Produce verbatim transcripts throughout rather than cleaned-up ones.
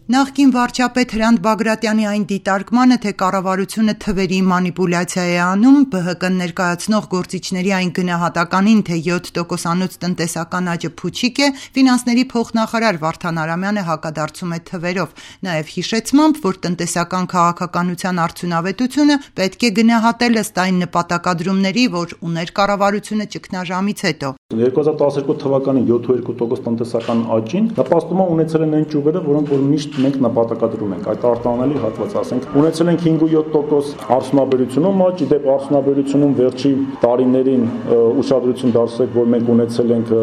Նախկին վարչապետ Հրանտ Բագրատյանի այն դիտարկմանը, թե կառավարությունը թվերի մանիպուլյացիա է անում, Բ Հ Կ-ն ներկայացնող գործիչների այն գնահատականին, թե յոթ տոկոսանոց տնտեսական աճը փուչիկ է, ֆինանսների փոխնախարար Վարդան Արամյանը հակադարձում է թվերով, նաև հիշեցմամբ, որ տնտեսական քաղաքականության արդյունավետությունը պետք է գնահատել ըստ այն նպատակադրումների, որ ուներ կառավարությունը ճգնաժամից հետո։ երկու հազար տասներկու թվականի յոթ տոկոս տնտեսական աճին նպաստում ունեցել են այն ճյուղերը, որոնք որ միշտ մենք նպատակադրում ենք, այդ արտանալի հատված, ասենք, ունեցել ենք հինգ ու յոթ տոկոս արդյունաբերությունում աճ, դեպ արդյունաբերությունում վերջի տարիներին ուշադրություն դարձրեք, որ մենք ունեցել ենք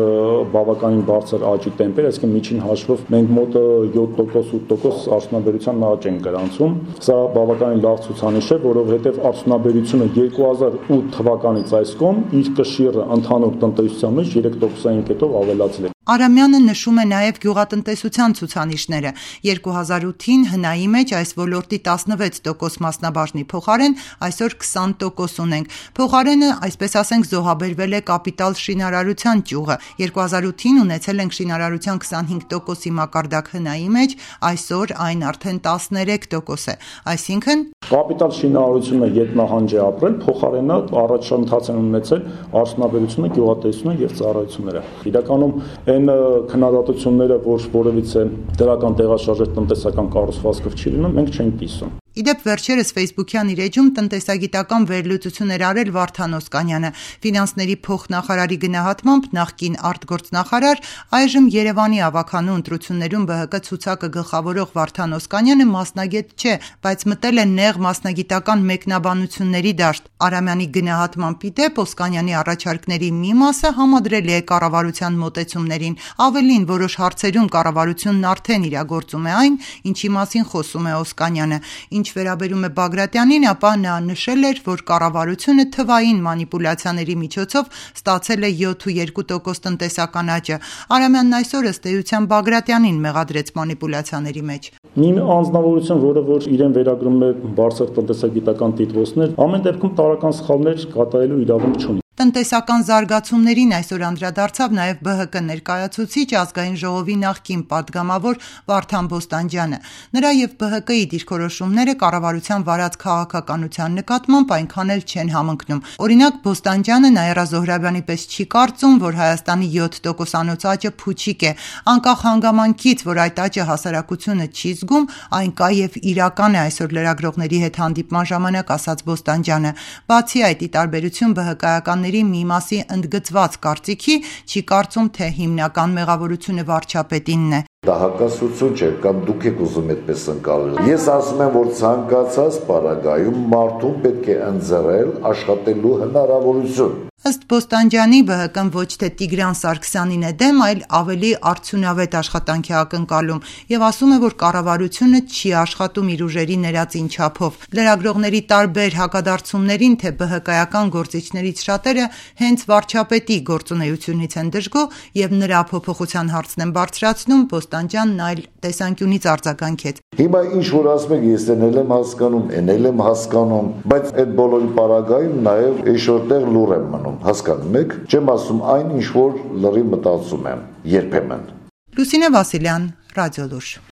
բավականին բարձր աճի տեմպեր, այսինքն միջին հաշվով մենք մոտ յոթ տոկոս ութ տոկոս արդյունաբերության աճ ենք գրանցում։ Սա բավականին լավ ցուցանիշ է, որովհետև արդյունաբերությունը երկու հազար ութ թվականից այս կողմ իր կշիռը ընդհանուր տնտեսության մեջ երեք տոկոսային կետով ավելացել է։ Արամյանը նշում է նաև գյուղատնտեսության ցուցանիշները։ երկու հազար ութին հնայի մեջ այս ոլորտի տասնվեց տոկոս մասնաբաժնի փոխարեն այսօր քսան տոկոս ունենք։ Փոխարենը, այսպես ասենք, զոհաբերվել է կապիտալ շինարարության ճյուղը։ երկու հազար ութին ունեցել ենք շինարարության քսանհինգ տոկոսի մակարդակ հնայի մեջ, այսօր այն արդեն տասներեք տոկոս է։ Այսինքն կապիտալ շինարարությունը ետնահանջ է ապրել, փոխարենը առաջընթաց են ունեցել արդյունաբերությունը, գյուղատնտեսությունը եւ ծառայությունները։ Իրականում այն քննադատությունները, որ որևիցե դրական տեղաշարժ տնտեսական կառուցվածքով չի լինում, մենք չենք կիսում։ Իդեպ վերջերս Facebook-յան իր էջում տնտեսագիտական վերլուծություն էր արել Վարդան Օսկանյանը։ Ֆինանսների փոխնախարարի գնահատմամբ նախկին արտգործնախարար, այժմ Երևանի ավագանու ընտրություններում Բ Հ Կ ցուցակը գլխավորող Վարդան Օսկանյանը մասնագետ չէ, բայց մտել է նեղ մասնագիտական մեկնաբանությունների դաշտ։ Արամյանի գնահատմամբ իդեպ Օսկանյանի առաջարկների մի մասը համադրելի է կառավարության մոտեցումներին, ավելին որոշ հարցերում կառավարությունն արդեն իրագործում է այն, ինչի մասին խոսում է Օսկանյանը։ Ինչ վերաբերում է Բագրատյանին, ապա նա նշել էր, որ կառավարությունը թվային մանիպուլյացիաների միջոցով ստացել է յոթ ու երկու տոկոս տնտեսական աճը։ Արամյանն այսօր ըստ էության Բագրատյանին մեղադրեց մանիպուլյացիաների մեջ։ Մի անձնավորություն, որը որ իրեն վերագրում է բարձր տնտեսագիտական տիտղոսներ, ամեն դեպքում տարրական սխալներ կատարելու իրավունք չունի։ Տնտեսական զարգացումներին այսօր անդրադարձավ նաև Բ Հ Կ ներկայացուցիչ ազգային ժողովի նախկին պատգամավոր Վարդան Բոստանջյանը։ Նրա եւ Բ Հ Կ-ի դիրքորոշումները կառավարության վարած քաղաքականության նկատմամբ այնքան էլ չեն համընկնում։ Օրինակ, Բոստանջյանը Նաիրա Զոհրաբյանի պես չի կարծում, որ Հայաստանի յոթ տոկոսանոց աճը փուչիկ է, անկախ հանգամանքից, որ այդ աճը հասարակությունը չի զգում, այն կա եւ իրական է այսօր լրագրողների հետ հանդիպման ժամանակ ասաց Բոստանջյանը։ Բացի այդ, ի տարբերություն Բ Հ Կ-ական մի մասի ընդգծված կարծիքի, չի կարծում, թե հիմնական մեղավորությունը վարչապետինն է։ Դա հակասություն չէ, կամ դուք եք ուզում այդպես ընկալել։ Ես ասում եմ, որ ցանկացած պարագայում մարդուն պետք է ընձեռել աշխատելու հնարավորություն։ Ըստ Բոստանջյանի, Բ Հ Կ-ն ոչ թե Տիգրան Սարգսյանին է դեմ, այլ ավելի արդյունավետ աշխատանքի ակնկալում եւ ասում է, որ կառավարությունը չի աշխատում իր ուժերի ներածին չափով։ Լրագրողների տարբեր հակադարձումներին, թե Բ Հ Կ-ական գործիչներից շատերը հենց վարչապետի գործունեությունից են դժգոհ եւ նրա փոփոխության հարցն են բարձրացնում, Բոստանջյանն այլ տեսանկյունից արձագանքեց։ Հիմա ինչ որ ասում եք, ես էլ եմ հասկանում, էլ եմ հասկանում, բայց այդ բոլորի պարագայում նաեւ էշորտեղ լուր եմ մնում, հասկանում եք, չեմ ասում այն, ինչ որ լրի մտածում եմ երբեմն։ Լուսինե Վասիլյան, Ռադիոլուր։